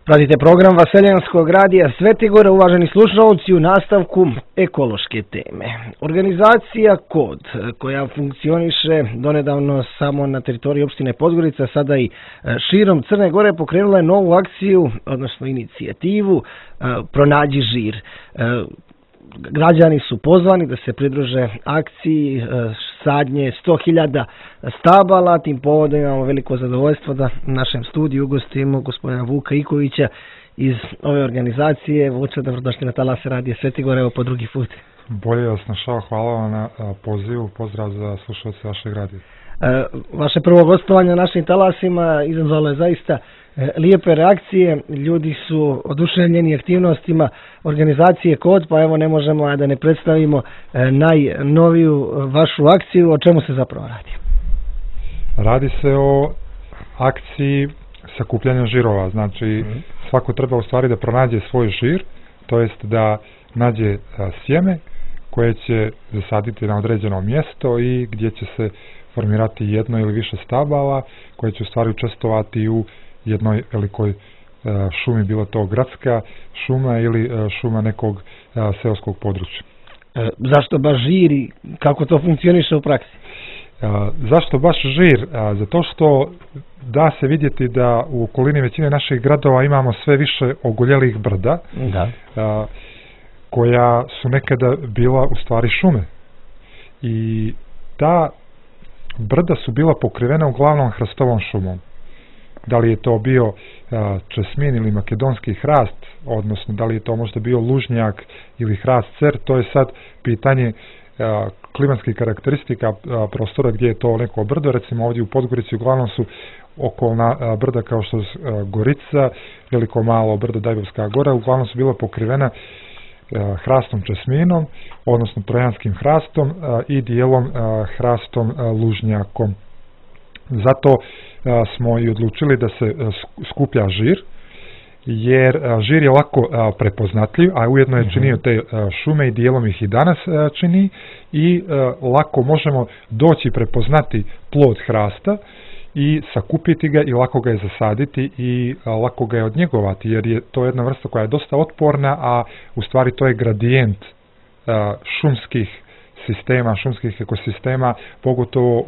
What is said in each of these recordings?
Pratite program Vaseljanskog radija Svetigora, uvaženi slušalci, u nastavku ekološke teme. Organizacija KOD, koja funkcioniše donedavno samo na teritoriji opštine Podgorica, sada i širom Crne Gore, pokrenula je novu akciju, odnosno inicijativu Pronađi žir. Građani su pozvani da se pridruže akciji sadnje 100.000 stabala. Tim povodom imamo veliko zadovoljstvo da u našem studiju ugostimo gospodina Vuka Ikovića iz ove organizacije. Vuče, dobrodošli na talase radija Svetigora, evo po drugi put. Bolje vas našao, hvala vam na pozivu, pozdrav za slušalce vašeg radija. Vaše prvo gostovanje na našim talasima izazvalo je zaista lijepe reakcije, ljudi su oduševljeni aktivnostima organizacije KOD, pa evo ne možemo a da ne predstavimo najnoviju vašu akciju. O čemu se zapravo radi? Radi se o akciji sakupljanja žirova, znači svako treba u stvari da pronađe svoj žir, to jest da nađe sjeme koje će zasaditi na određeno mjesto i gdje će se formirati jedno ili više stabala koje će u stvari učestvovati u jednoj velikoj šumi, bilo to gradska šuma ili šuma nekog seoskog područja. Zašto baš žir i kako to funkcioniše u praksi? Zašto baš žir? Zato što da se vidjeti da u okolini većine naših gradova imamo sve više ogoljelih brda, koja su nekada bila u stvari šume. I ta brda su bila pokrivena uglavnom hrastovom šumom. Da li je to bio česmin ili makedonski hrast, odnosno da li je to možda bio lužnjak ili hrast cer, to je sad pitanje klimatskih karakteristika prostora gdje je to neko brdo. Recimo ovdje u Podgorici uglavnom su okolna brda kao što je Gorica, veliko malo brdo Dajbovska gora, uglavnom su bila pokrivena hrastom česminom, odnosno trojanskim hrastom i dijelom hrastom lužnjakom. Zato smo i odlučili da se skuplja žir, jer žir je lako prepoznatljiv, a ujedno je činio te šume i dijelom ih i danas čini, i lako možemo doći prepoznati plod hrasta i sakupiti ga i lako ga je zasaditi i lako ga je odnjegovati, jer je to jedna vrsta koja je dosta otporna, a u stvari to je gradijent šumskih sistema, šumskih ekosistema, pogotovo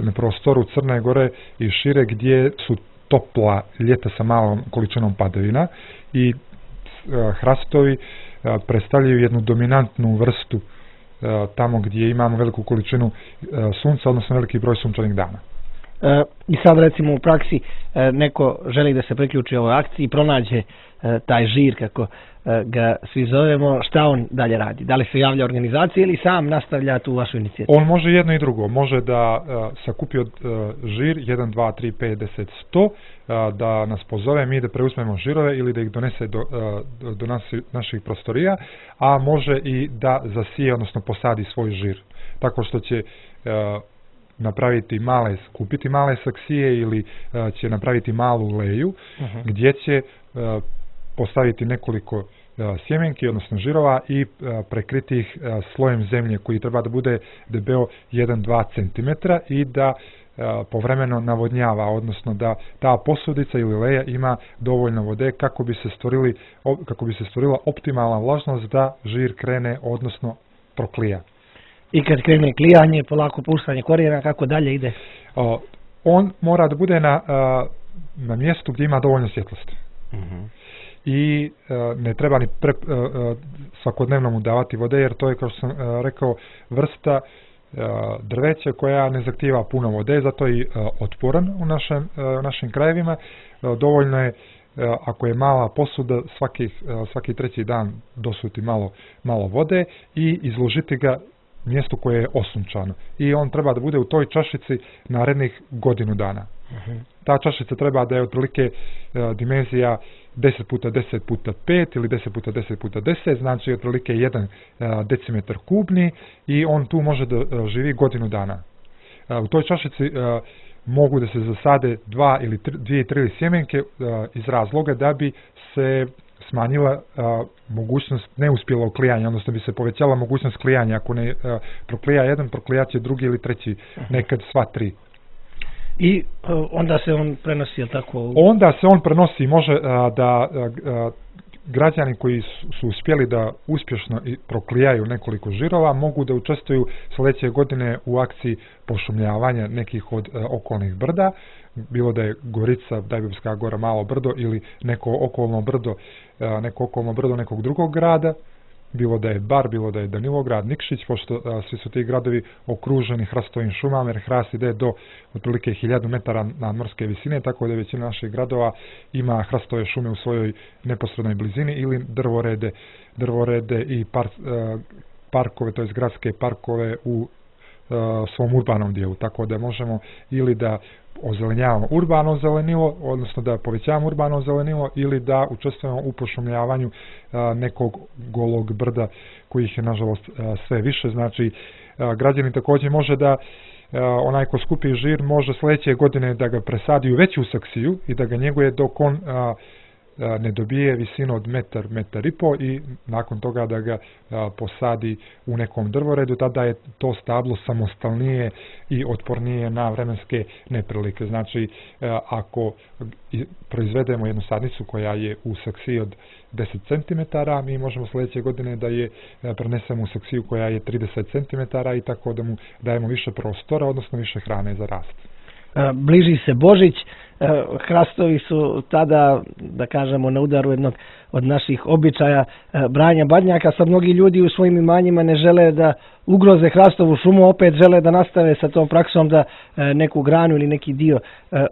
na prostoru Crne Gore i šire, gdje su topla ljeta sa malom količinom padavina, i hrastovi predstavljaju jednu dominantnu vrstu tamo gdje imamo veliku količinu sunca, odnosno veliki broj sunčanih dana. I sad recimo u praksi neko želi da se priključi ovoj akciji, pronađe taj žir, kako ga svi zovemo, šta on dalje radi? Da li se javlja organizacija ili sam nastavlja tu vašu inicijativu? On može jedno i drugo. Može da sakupi od žir 1, 2, 3, 5, 10, 100, da nas pozove, mi da preuzmemo žirove ili da ih donese do naših prostorija, a može i da zasije, odnosno posadi svoj žir. Tako što će kupiti male saksije ili će napraviti malu leju gdje će postaviti nekoliko sjemenki, odnosno žirova, i prekriti ih slojem zemlje koji treba da bude debeo 1-2 cm i da povremeno navodnjava, odnosno da ta posudica ili leja ima dovoljno vode kako bi se stvorila optimalna vlažnost da žir krene, odnosno proklija. I kad krene klijanje, polako puštanje korijena, kako dalje ide? On mora da bude na mjestu gdje ima dovoljno svjetlosti. I ne treba ni svakodnevno mu davati vode, jer to je, kao što sam rekao, vrsta drveća koja ne zahtijeva puno vode, zato je otporan u našim krajevima. Dovoljno je, ako je mala posuda, svaki treći dan dosuti malo vode i izložiti ga mjestu koje je osunčano. I on treba da bude u toj čašici narednih godinu dana. Ta čašica treba da je otprilike dimenzija 10x10x5 ili 10x10x10, znači otprilike 1 decimetar kubni, i on tu može da živi godinu dana. U toj čašici mogu da se zasade 2 ili 3 sjemenke iz razloga da bi se smanjila mogućnost neuspjelog klijanja, odnosno bi se povećala mogućnost klijanja. Ako ne proklija jedan, proklijat će drugi ili treći, nekad sva tri. I onda se on prenosi, je li tako? Onda se on prenosi, može da građani koji su uspjeli da uspješno proklijaju nekoliko žirova mogu da učestvuju sljedeće godine u akciji pošumljavanja nekih od okolnih brda, bilo da je Gorica, Dajbovska gora, Malo brdo ili neko okolno brdo nekog drugog grada, bilo da je Bar, bilo da je Danilograd, Nikšić, pošto svi su ti gradovi okruženi hrastovim šumama, jer hrast ide do otprilike 1000 metara nadmorske visine, tako da većina naših gradova ima hrastove šume u svojoj neposrednoj blizini ili drvorede i parkove, to jest gradske parkove u svom urbanom dijelu, tako da možemo ili da ozelenjavamo urbano zelenilo, odnosno da povećavamo urbano zelenilo ili da učestvujemo u pošumljavanju nekog golog brda kojih je nažalost sve više. Znači, građani također može da onaj ko skupi žir može sljedeće godine da ga presadi u veću saksiju i da ga njeguje dok on ne dobije visinu od metar i po i nakon toga da ga posadi u nekom drvoredu, tada je to stablo samostalnije i otpornije na vremenske neprilike. Znači, ako proizvedemo jednu sadnicu koja je u saksiji od 10 cm, mi možemo sljedeće godine da je prenesemo u saksiju koja je 30 cm i tako da mu dajemo više prostora, odnosno više hrane za rast. Bliži se Božić, hrastovi su tada, da kažemo, na udaru jednog od naših običaja branja badnjaka. Sad mnogi ljudi u svojim imanjima ne žele da ugroze hrastovu šumu, opet žele da nastave sa tom praksom da neku granu ili neki dio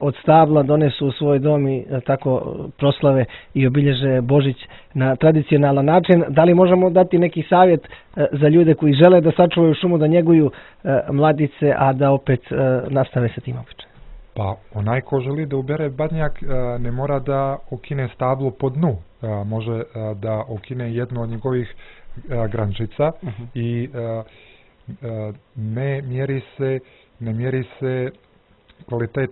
od stabla donesu u svoj dom i tako proslave i obilježe Božić na tradicionalan način. Da li možemo dati neki savjet za ljude koji žele da sačuvaju šumu, da njeguju mladice, a da opet nastave sa tim običajem? Pa onaj ko želi da ubere badnjak ne mora da okine stablo po dnu, može da okine jednu od njegovih grančica i ne mjeri se kvalitet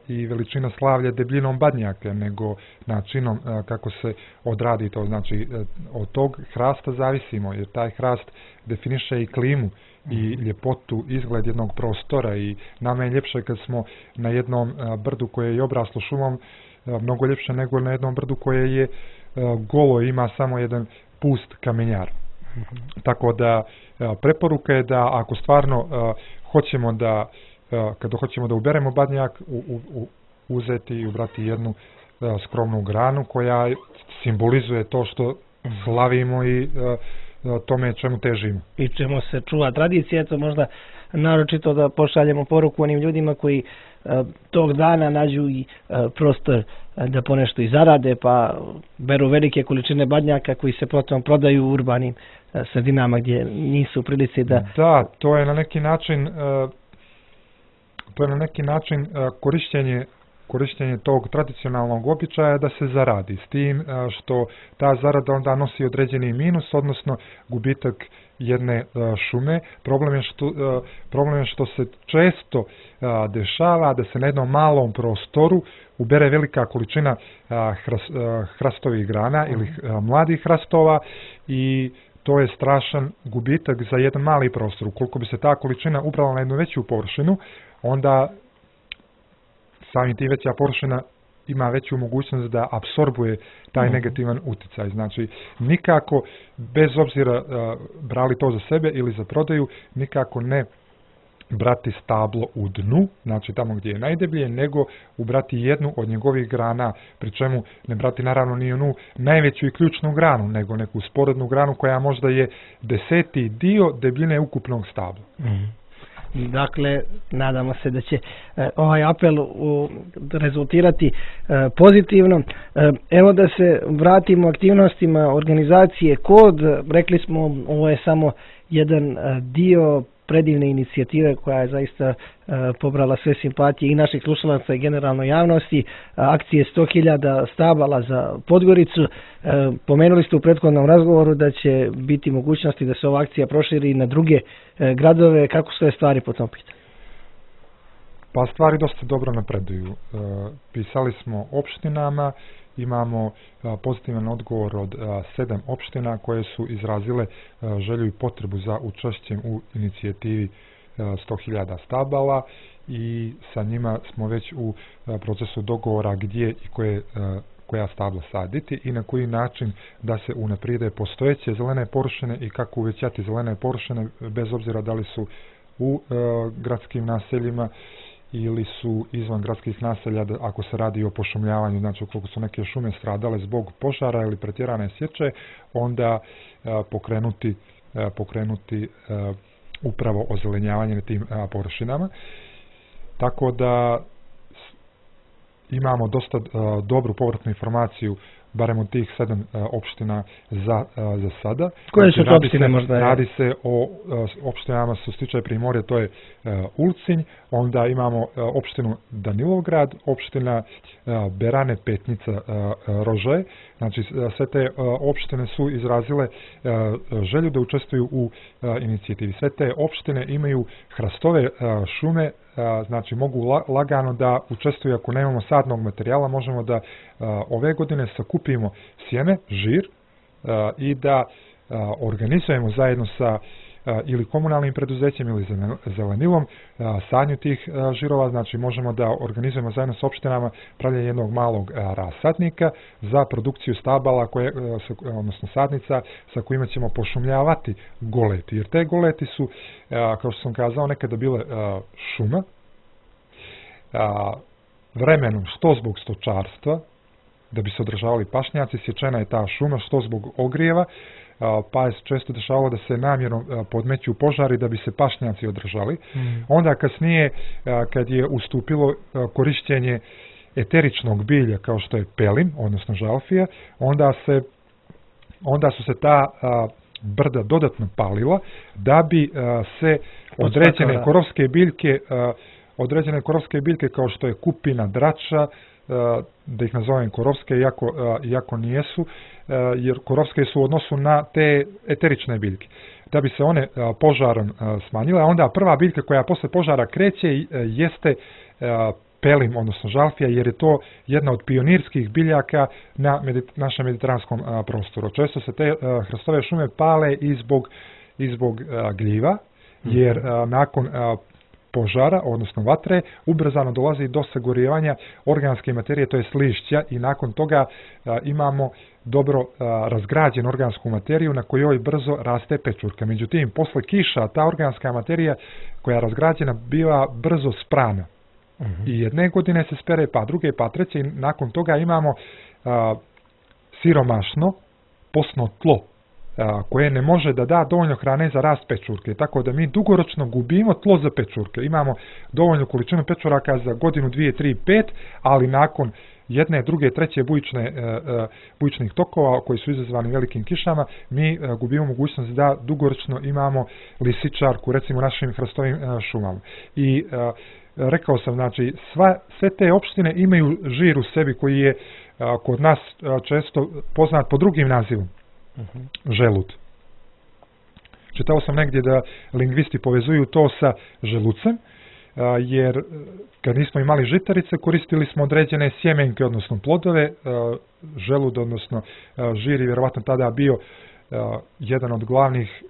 i veličina slavlja debljinom badnjaka, nego načinom kako se odradi to. Znači, od tog hrasta zavisimo, jer taj hrast definiše i klimu i ljepotu, izgled jednog prostora i nama je ljepše kad smo na jednom brdu koje je obraslo šumom, mnogo ljepše nego na jednom brdu koje je golo i ima samo jedan pust kamenjar. Tako da preporuka je da ako stvarno hoćemo da kada hoćemo da uberemo badnjak, uzeti i ubrati jednu skromnu granu koja simbolizuje to što slavimo i tome čemu težimo. I čemu se čuva tradicija, to možda naročito da pošaljemo poruku onim ljudima koji tog dana nađu i prostor da ponešto i zarade, pa beru velike količine badnjaka koji se potom prodaju u urbanim sredinama gdje nisu u prilici da... Da, to je na neki način korištenje tog tradicionalnog običaja da se zaradi, s tim što ta zarada onda nosi određeni minus, odnosno gubitak jedne šume. Problem je što se često dešava da se na jednom malom prostoru ubere velika količina hrastovih grana ili mladih hrastova i to je strašan gubitak za jedan mali prostor. Ukoliko bi se ta količina ubrala na jednu veću površinu, onda samim tim veća površina ima veću mogućnost da apsorbuje taj negativan utjecaj. Znači, nikako, bez obzira brali to za sebe ili za prodaju, nikako ne brati stablo u dnu, znači tamo gdje je najdeblje, nego ubrati jednu od njegovih grana, pri čemu ne brati naravno ni onu najveću i ključnu granu, nego neku sporednu granu koja možda je 10. dio debljine ukupnog stabla. Dakle, nadamo se da će ovaj apel rezultirati pozitivno. Evo da se vratimo aktivnostima organizacije KOD. Rekli smo, ovo je samo jedan dio predivne inicijative koja je zaista pobrala sve simpatije i naših slušalaca i generalno javnosti. Akcije 100.000 stabala za Podgoricu. Pomenuli ste u prethodnom razgovoru da će biti mogućnosti da se ova akcija proširi na druge gradove. Kako su te stvari po tom pitanju? Pa stvari dosta dobro napreduju. Pisali smo opštinama, imamo pozitivan odgovor od 7 opština koje su izrazile želju i potrebu za učešćem u inicijativi 100.000 stabala i sa njima smo već u procesu dogovora gdje i koja stabla saditi i na koji način da se unaprijede postojeće zelene površine i kako uvećati zelene površine bez obzira da li su u gradskim naseljima ili su izvan gradskih naselja, ako se radi o pošumljavanju, znači ukoliko su neke šume stradale zbog požara ili pretjerane sječe, onda pokrenuti upravo ozelenjavanje na tim površinama. Tako da imamo dosta dobru povratnu informaciju, barem od tih 7 opština za sada. Koje su to opštine možda? Radi se o opštinama što se tiče Primorja, to je Ulcinj, onda imamo opštinu Danilovgrad, opština Berane, Petnica, Rožaje. Znači sve te opštine su izrazile želju da učestvuju u inicijativi. Sve te opštine imaju hrastove šume, znači mogu lagano da učestvuju. Ako nemamo sadnog materijala, možemo da ove godine sakupimo sjeme, žir i da organizujemo zajedno sa ili komunalnim preduzećem ili zelenilom sadnju tih žirova. Znači možemo da organizujemo zajedno s opštinama pravljenje jednog malog rasadnika za produkciju stabala, odnosno sadnica sa kojima ćemo pošumljavati goleti. Jer te goleti su, kao što sam kazao, nekada bile šuma. Vremenom, što zbog stočarstva, da bi se održavali pašnjaci, sječena je ta šuma, što zbog ogrijeva, pa je često dešavalo da se namjerno podmeću požari da bi se pašnjaci održali. Onda kasnije, kad je ustupilo korištenje eteričnog bilja kao što je pelin, odnosno žalfija, onda su se ta brda dodatno palila da bi se određene korovske biljke kao što je kupina, drača, da ih nazovem korovske, iako nijesu, jer korovske su u odnosu na te eterične biljke. Da bi se one požarom smanjile, a onda prva biljka koja posle požara kreće jeste pelin, odnosno žalfija, jer je to jedna od pionirskih biljaka na našem mediteranskom prostoru. Često se te hrastove šume pale i zbog gljiva, jer nakon požara, odnosno vatre, ubrzano dolazi do sagorijevanja organske materije, to je lišća, i nakon toga imamo dobro razgrađenu organsku materiju na kojoj brzo raste pečurka. Međutim, posle kiša ta organska materija koja je razgrađena biva brzo sprana. I jedne godine se spere, pa druge, pa treće, i nakon toga imamo siromašno posno tlo koje ne može da da dovoljno hrane za rast pečurke, tako da mi dugoročno gubimo tlo za pečurke. Imamo dovoljnu količinu pečuraka za godinu, 2, 3, 5, ali nakon jedne, druge, treće bujičnih tokova koji su izazvani velikim kišama, mi gubimo mogućnost da dugoročno imamo lisičarku, recimo našim hrastovim šumama. I rekao sam, znači, sve te opštine imaju žir u sebi koji je kod nas često poznat po drugim nazivom. Želut. Čitao sam negdje da lingvisti povezuju to sa želucem, jer kad nismo imali žitarice, koristili smo određene sjemenke, odnosno plodove. Želud, odnosno žir je vjerovatno tada bio jedan od glavnih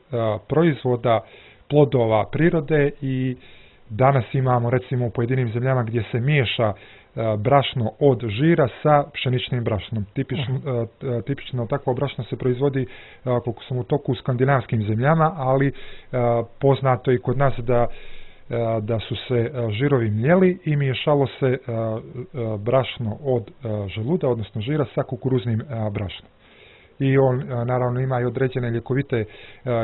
proizvoda plodova prirode, i danas imamo recimo u pojedinim zemljama gdje se miješa brašno od žira sa pšeničnim brašnom. Tipično takvo brašno se proizvodi, koliko sam u toku, u skandinavskim zemljama, ali poznato i kod nas da su se žirovi mljeli i miješalo se brašno od želuda, odnosno žira, sa kukuruznim brašnom. I on naravno ima i određene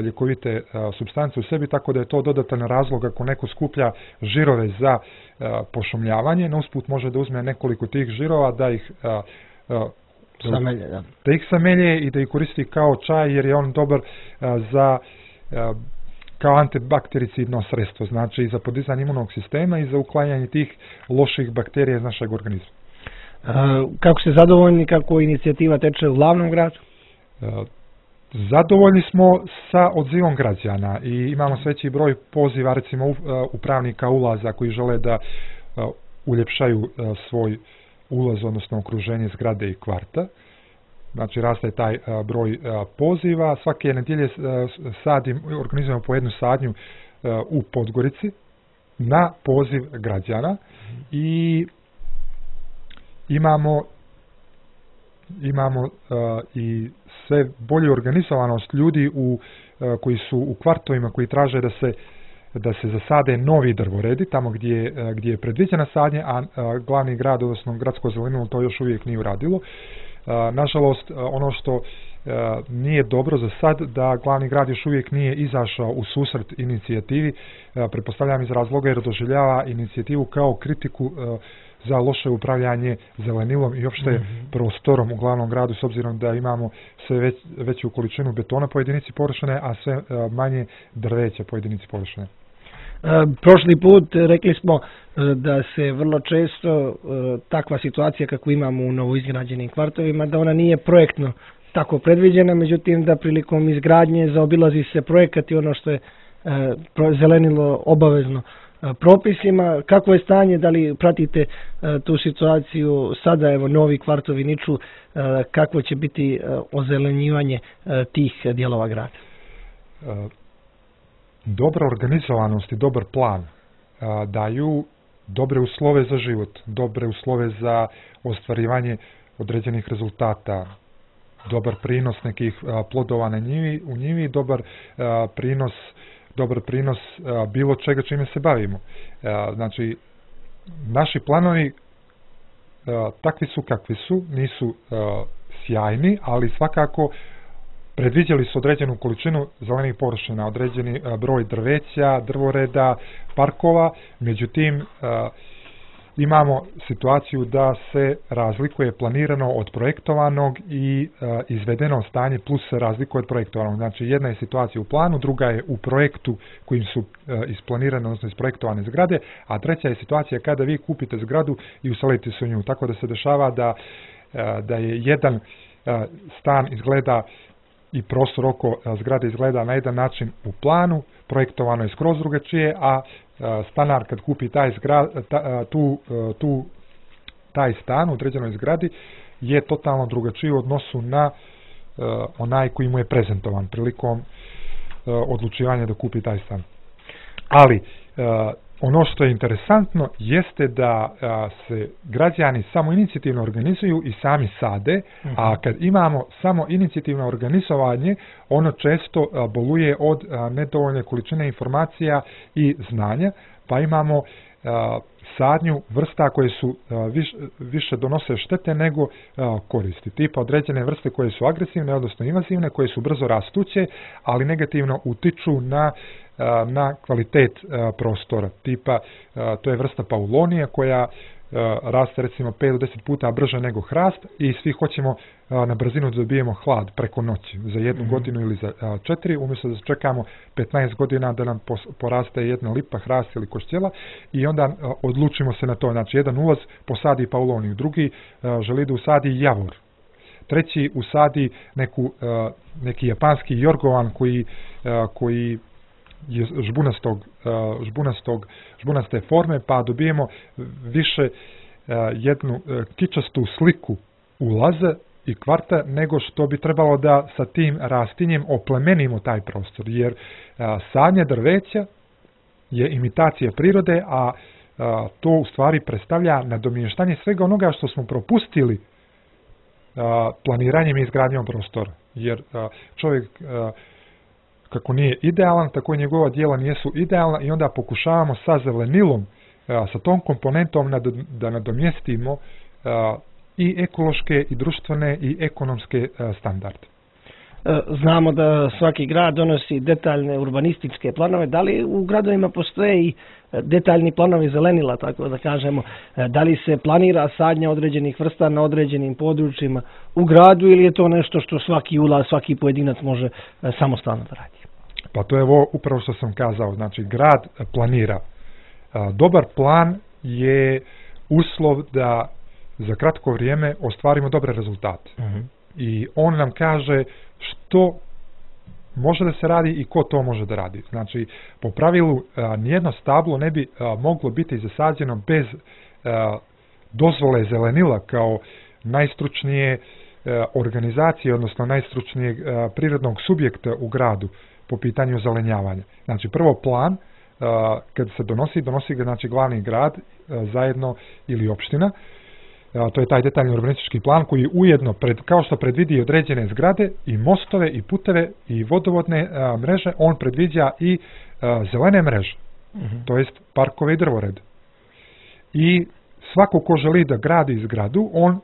ljekovite supstance u sebi, tako da je to dodatan razlog ako neko skuplja žirove za pošumljavanje. Na usput može da uzme nekoliko tih žirova, da ih samelje i da ih koristi kao čaj, jer je on dobar kao antibaktericidno sredstvo, znači i za podizanje imunog sistema i za uklanjanje tih loših bakterija iz našeg organizma. Kako ste zadovoljni kako inicijativa teče u glavnom gradu? Zadovoljni smo sa odzivom građana i imamo sve veći broj poziva, recimo upravnika ulaza koji žele da uljepšaju svoj ulaz, odnosno okruženje zgrade i kvarta. Znači raste taj broj poziva. Svake nedjelje organizujemo po jednu sadnju u Podgorici, na poziv građana i imamo i sve bolju organizovanost ljudi koji su u kvartovima koji traže da se zasade novi drvoredi tamo gdje je predviđena sadnje, a glavni grad, odnosno gradsko zelenilo to još uvijek nije uradilo. Nažalost, ono što nije dobro za sad, da glavni grad još uvijek nije izašao u susret inicijativi, pretpostavljam iz razloga jer doživljava inicijativu kao kritiku za loše upravljanje zelenilom i opšte prostorom u glavnom gradu, s obzirom da imamo sve veću količinu betona po jedinici površine, a sve manje drveća po jedinici površine. Prošli put rekli smo da se vrlo često takva situacija kako imamo u novoizgrađenim kvartovima, da ona nije projektno tako predviđena, međutim da prilikom izgradnje zaobilazi se projekat i ono što je zelenilo obavezno propisima. Kako je stanje, da li pratite tu situaciju sada, evo novi kvartovi niču, kako će biti ozelenjivanje tih dijelova grada? Dobra organizovanost i dobar plan daju dobre uslove za život, dobre uslove za ostvarivanje određenih rezultata, dobar prinos nekih plodova u njivi, dobar prinos bilo čega čime se bavimo. Znači, naši planovi takvi su kakvi su, nisu sjajni, ali svakako predviđali su određenu količinu zelenih površina, određeni broj drveća, drvoreda, parkova, međutim imamo situaciju da se razlikuje planirano od projektovanog i izvedeno stanje plus se razlikuje od projektovanog. Znači jedna je situacija u planu, druga je u projektu kojim su isplanirane, odnosno isprojektovane zgrade, a treća je situacija kada vi kupite zgradu i uselite se u nju. Tako da se dešava da je jedan stan izgleda i prostor oko zgrade izgleda na jedan način u planu, projektovano je skroz drugačije, a stanar kad kupi taj stan u određenoj zgradi je totalno drugačiji u odnosu na onaj koji mu je prezentovan prilikom odlučivanja da kupi taj stan. Ali ono što je interesantno jeste da se građani samo inicijativno organizuju i sami sade, a kad imamo samo inicijativno organizovanje, ono često boluje od nedovoljne količine informacija i znanja, pa imamo sadnju vrsta koje su više donose štete nego koristi. Tipa određene vrste koje su agresivne, odnosno invazivne, koje su brzo rastuće, ali negativno utiču na kvalitet prostora. Tipa, to je vrsta paulonija koja raste recimo 5 do 10 puta brže nego hrast i svi hoćemo na brzinu da dobijemo hlad preko noći za 1 godinu ili za 4, umjesto da čekamo 15 godina da nam poraste jedna lipa, hrast ili koštjela i onda odlučimo se na to. Znači jedan ulaz posadi pauloniju, drugi želi da usadi javor, treći usadi neki japanski jorgovan koji je žbunaste forme, pa dobijemo više jednu kičastu sliku ulaza i kvarta nego što bi trebalo da sa tim rastinjem oplemenimo taj prostor, jer sadnja drveća je imitacija prirode, a to u stvari predstavlja nadomještanje svega onoga što smo propustili planiranjem i izgradnjom prostora, jer čovjek kako nije idealan, tako i njegova djela nisu idealna i onda pokušavamo sa zelenilom, sa tom komponentom da nadomjestimo i ekološke, i društvene, i ekonomske standarde. Znamo da svaki grad donosi detaljne urbanističke planove. Da li u gradovima postoje i detaljni planovi zelenila, tako da kažemo? Da li se planira sadnja određenih vrsta na određenim područjima u gradu ili je to nešto što svaki ulaz, svaki pojedinac može samostalno da radi? Pa to je ovo upravo što sam kazao. Znači, grad planira. Dobar plan je uslov da za kratko vrijeme ostvarimo dobre rezultate. I on nam kaže što može da se radi i ko to može da radi. Znači, po pravilu, nijedno stablo ne bi moglo biti zasađeno bez dozvole zelenila kao najstručnije organizacije, odnosno najstručnijeg prirodnog subjekta u gradu po pitanju zelenjavanja. Znači, prvo plan, kad se donosi ga znači glavni grad zajedno ili opština. To je taj detaljni urbanistički plan koji ujedno, kao što predvidi određene zgrade i mostove i puteve i vodovodne mreže, on predviđa i zelene mreže, to jest parkove i drvored. I svako ko želi da gradi zgradu, on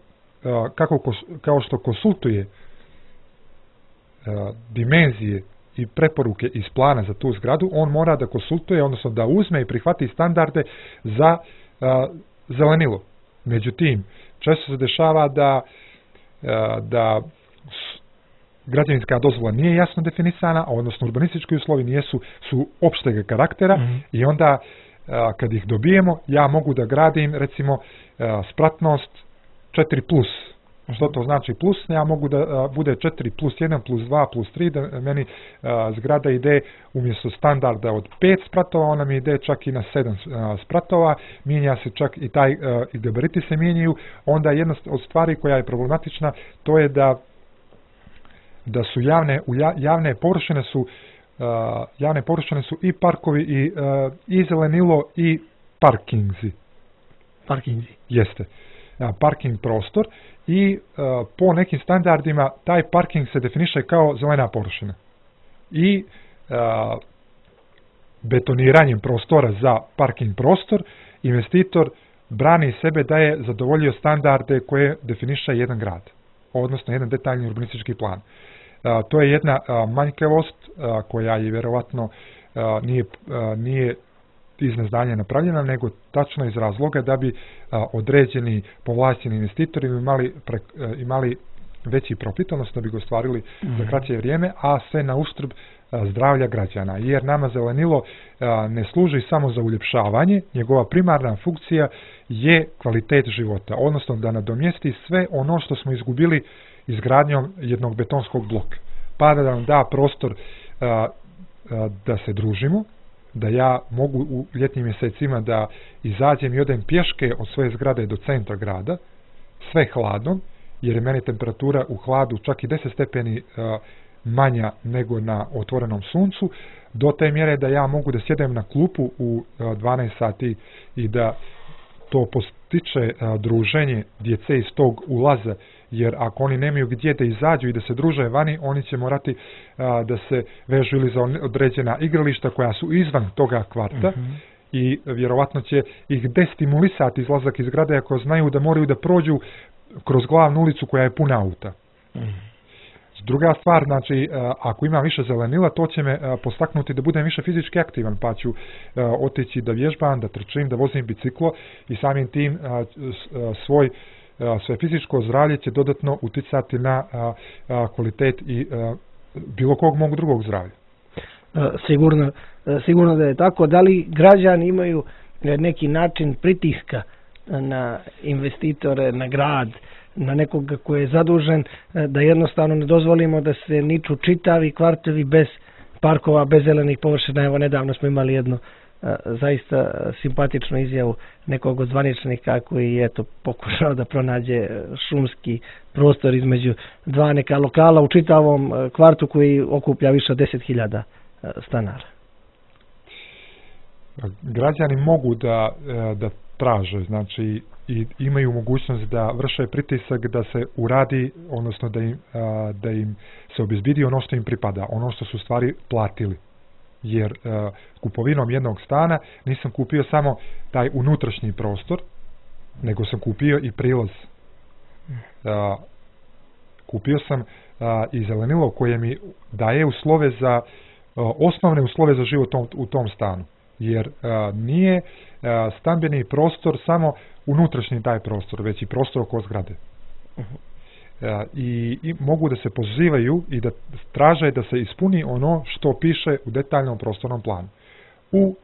kao što konsultuje dimenzije i preporuke iz plana za tu zgradu, on mora da konsultuje, odnosno da uzme i prihvati standarde za zelenilo. Međutim, često se dešava da građevinska dozvola nije jasno definisana, odnosno urbanistički uslovi su opšteg karaktera i onda kad ih dobijemo, ja mogu da gradim recimo spratnost 4+. Što to znači plus? Ja mogu da bude 4+1, +2, +3, da meni zgrada ide umjesto standarda od 5 spratova, ona mi ide čak i na 7 spratova, mijenja se čak i i gabariti se mijenjaju. Onda jedna od stvari koja je problematična, to je da su javne površine su i parkovi i zelenilo i parkinzi. Parkinzi. Jeste. Parking prostor i po nekim standardima taj parking se definiše kao zelena površina. I betoniranjem prostora za parking prostor investitor brani sebe da je zadovoljio standarde koje definiše jedan grad, odnosno jedan detaljni urbanistički plan. To je jedna manjkavost koja je vjerovatno nije iz neznanja napravljena, nego tačno iz razloga da bi određeni povlašćeni investitori imali veći profit, odnosno da bi ga ostvarili za kraće vrijeme, a sve na uštrb zdravlja građana. Jer nama zelenilo ne služi samo za uljepšavanje, njegova primarna funkcija je kvalitet života, odnosno da nadomjesti sve ono što smo izgubili izgradnjom jednog betonskog bloka. Pa da nam da prostor da se družimo, da ja mogu u ljetnim mjesecima da izađem i odem pješke od svoje zgrade do centra grada, sve hladno, jer je meni temperatura u hladu čak i 10 stepeni manja nego na otvorenom suncu, do te mjere da ja mogu da sjedem na klupu u 12 sati i da to postiče druženje djece iz tog ulaza, jer ako oni nemaju gdje da izađu i da se druže vani, oni će morati da se vežu ili za određena igrališta koja su izvan toga kvarta i vjerovatno će ih destimulisati izlazak iz zgrade ako znaju da moraju da prođu kroz glavnu ulicu koja je puna auta. Druga stvar, znači, ako imam više zelenila, to će me postaknuti da budem više fizički aktivan, pa ću otići da vježbam, da trčim, da vozim biciklo i samim tim svoje fizičko zdravlje će dodatno uticati na kvalitet i bilo kog mog drugog zdravlja. Sigurno da je tako. Da li građani imaju neki način pritiska na investitore, na grad, na nekoga koji je zadužen, da jednostavno ne dozvolimo da se niču čitavi kvartovi bez parkova, bez zelenih površina? Evo, nedavno smo imali jednu zaista simpatičnu izjavu nekog od zvaničnika koji je pokušao da pronađe šumski prostor između dva neka lokala u čitavom kvartu koji okuplja više od 10.000 stanara. Građani mogu da traže, znači i imaju mogućnost da vrše pritisak da se uradi, odnosno da im se obezbedi ono što im pripada, ono što su stvari platili. Jer kupovinom jednog stana nisam kupio samo taj unutrašnji prostor, nego sam kupio i prilaz. Kupio sam i zelenilo koje mi daje osnovne uslove za život u tom stanu. Jer nije stambeni prostor samo unutrašnji taj prostor, već i prostor oko zgrade. I mogu da se pozivaju i da traže da se ispuni ono što piše u detaljnom prostornom planu. U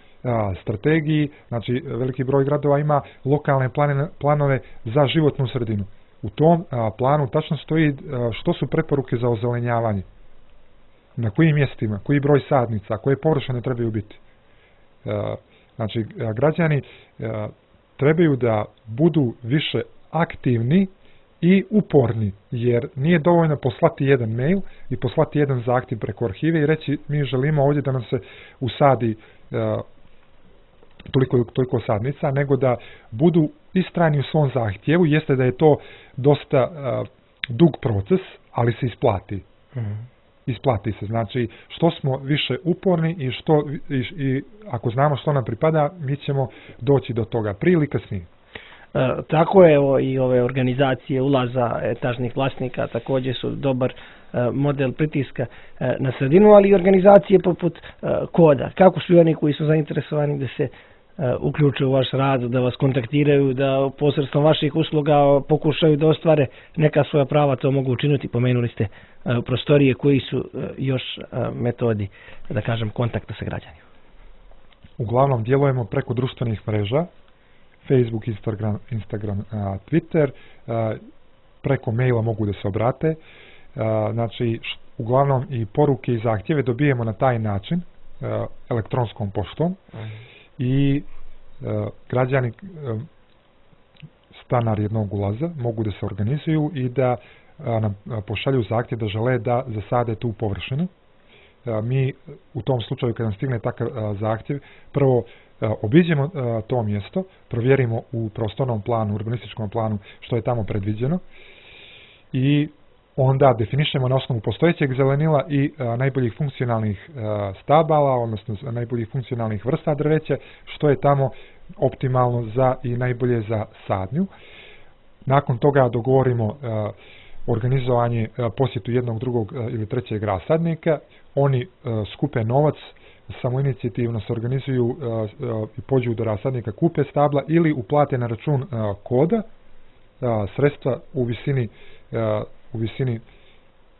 strategiji, znači veliki broj gradova ima lokalne planove za životnu sredinu. U tom planu tačno stoji što su preporuke za ozelenjavanje, na kojim mjestima, koji broj sadnica, koje površine trebaju biti. Znači, građani trebaju da budu više aktivni i uporni, jer nije dovoljno poslati jedan mail i poslati jedan zahtjev preko arhive i reći mi želimo ovdje da nam se usadi toliko sadnica, nego da budu istrajni u svom zahtjevu. Jeste da je to dosta dug proces, ali se isplati. Isplati se. Znači, što smo više uporni i ako znamo što nam pripada, mi ćemo doći do toga prije ili kasnije. Tako je, i ove organizacije ulaza etažnih vlasnika također su dobar model pritiska na sredinu, ali i organizacije poput Koda. Kako su oni koji su zainteresovani da se uključe u vaš rad, da vas kontaktiraju, da posredstvom vaših usluga pokušaju da ostvare neka svoja prava, to mogu učiniti? Pomenuli ste prostorije, koji su još metodi, da kažem, kontakta sa građanima? Uglavnom djelujemo preko društvenih mreža, Facebook, Instagram, Twitter, preko maila mogu da se obrate. Znači, uglavnom i poruke i zahtjeve dobijemo na taj način, elektronskom poštom, i građani, stanar jednog ulaza, mogu da se organizuju i da nam pošalju zahtjev da žele da zasade tu površinu. Mi u tom slučaju, kad nam stigne takav zahtjev, prvo obiđemo to mjesto, provjerimo u prostornom planu, urbanističkom planu što je tamo predviđeno i onda definišemo na osnovu postojećeg zelenila i najboljih funkcionalnih stabala, odnosno najboljih funkcionalnih vrsta drveća, što je tamo optimalno i najbolje za sadnju. Nakon toga dogovorimo organizovanje posjetu jednog, drugog ili trećeg rasadnika. Oni skupe novac, samoinicijativno se organizuju i pođu do rasadnika, kupe stabla ili uplate na račun Koda sredstva u visini 5,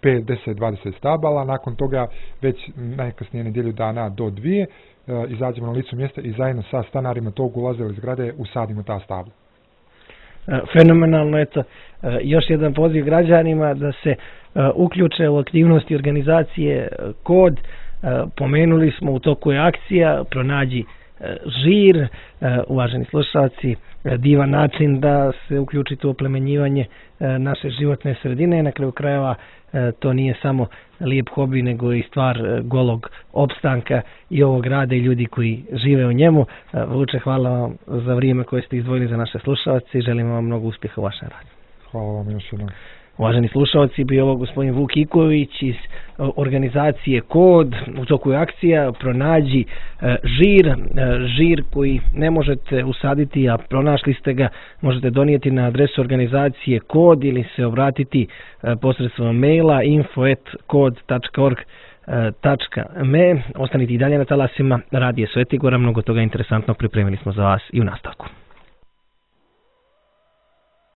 10, 20 stabala. Nakon toga već najkasnije nedjelju dana do 2 izađemo na licu mjesta i zajedno sa stanarima tog ulaza ili zgrade usadimo ta stabla. Fenomenalno, eto, još jedan poziv građanima da se uključe u aktivnosti organizacije Kod. Pomenuli smo, u toku je akcija Pronađi žir. Uvaženi slušalci, divan način da se uključite u oplemenjivanje naše životne sredine. Na kraju krajeva to nije samo lijep hobi, nego i stvar golog opstanka i ovog grada i ljudi koji žive u njemu. Vuče, hvala vam za vrijeme koje ste izdvojili za naše slušalce i želimo vam mnogo uspjeha u vašem radu. Hvala vam još jednom. Uvaženi slušalci, bio ovo gospodin Vuk Iković iz organizacije Kod. U toku je akcija Pronađi žir. Žir koji ne možete usaditi, a pronašli ste ga, možete donijeti na adresu organizacije Kod ili se obratiti posredstvom maila info@kod.org.me. Ostanite i dalje na talasima Radija Svetigora, mnogo toga interesantno pripremili smo za vas i u nastavku.